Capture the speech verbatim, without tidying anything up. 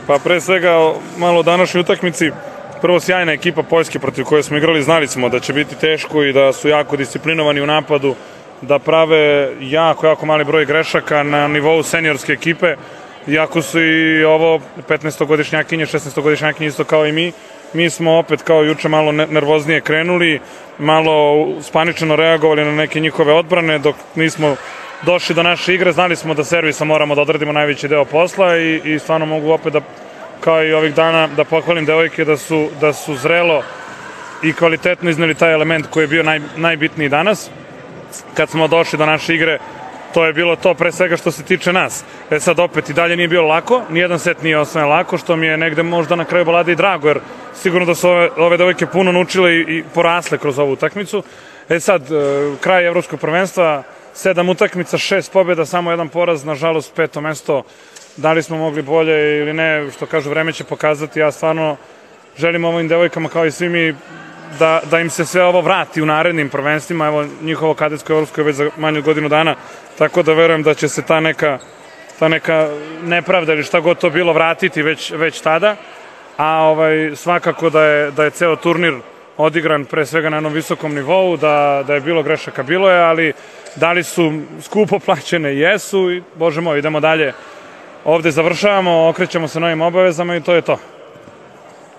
Pa pre svega malo o današnjoj utakmici. Prvo, sjajna ekipa Poljske protiv koje smo igrali, znali smo da će biti teško i da su jako disciplinovani u napadu, da prave jako, jako mali broj grešaka na nivou seniorske ekipe, iako su i ovo petnaestogodišnjakinje, šesnaestogodišnjakinje isto kao i mi. Mi smo opet kao juče malo nervoznije krenuli, malo spaničeno reagovali na neke njihove odbrane, dok nismo došli do naše igre, znali smo da servisa moramo da odradimo najveći deo posla i, i stvarno mogu opet da, kao i ovih dana, da pohvalim devojke da su, da su zrelo i kvalitetno izneli taj element koji je bio naj, najbitniji danas. Kad smo došli do naše igre, to je bilo to pre svega što se tiče nas. E sad opet i dalje nije bilo lako, nijedan set nije osvojen lako, što mi je negde možda na kraju balade i drago, jer sigurno da su ove, ove devojke puno naučile i, i porasle kroz ovu utakmicu. E sad, kraj evropskog prvenstva, sedam utakmica, šest pobjeda, samo jedan poraz, nažalost peto mesto. Da li smo mogli bolje ili ne, što kažu, vreme će pokazati. Ja stvarno želim ovim devojkama kao i svi mi da, da im se sve ovo vrati u narednim prvenstvima. Evo, njihovo kadetsko evropsko je već za manje od godinu dana, tako da verujem da će se ta neka, ta neka nepravda ili šta god to bilo vratiti već, već tada. A ovaj, svakako da je, da je ceo turnir odigran pre svega na jednom visokom nivou, da, da je bilo grešaka, bilo je, ali da li su skupo plaćene? Jesu i, bože moj, idemo dalje. Ovde završavamo, okrećemo se novim obavezama i to je to.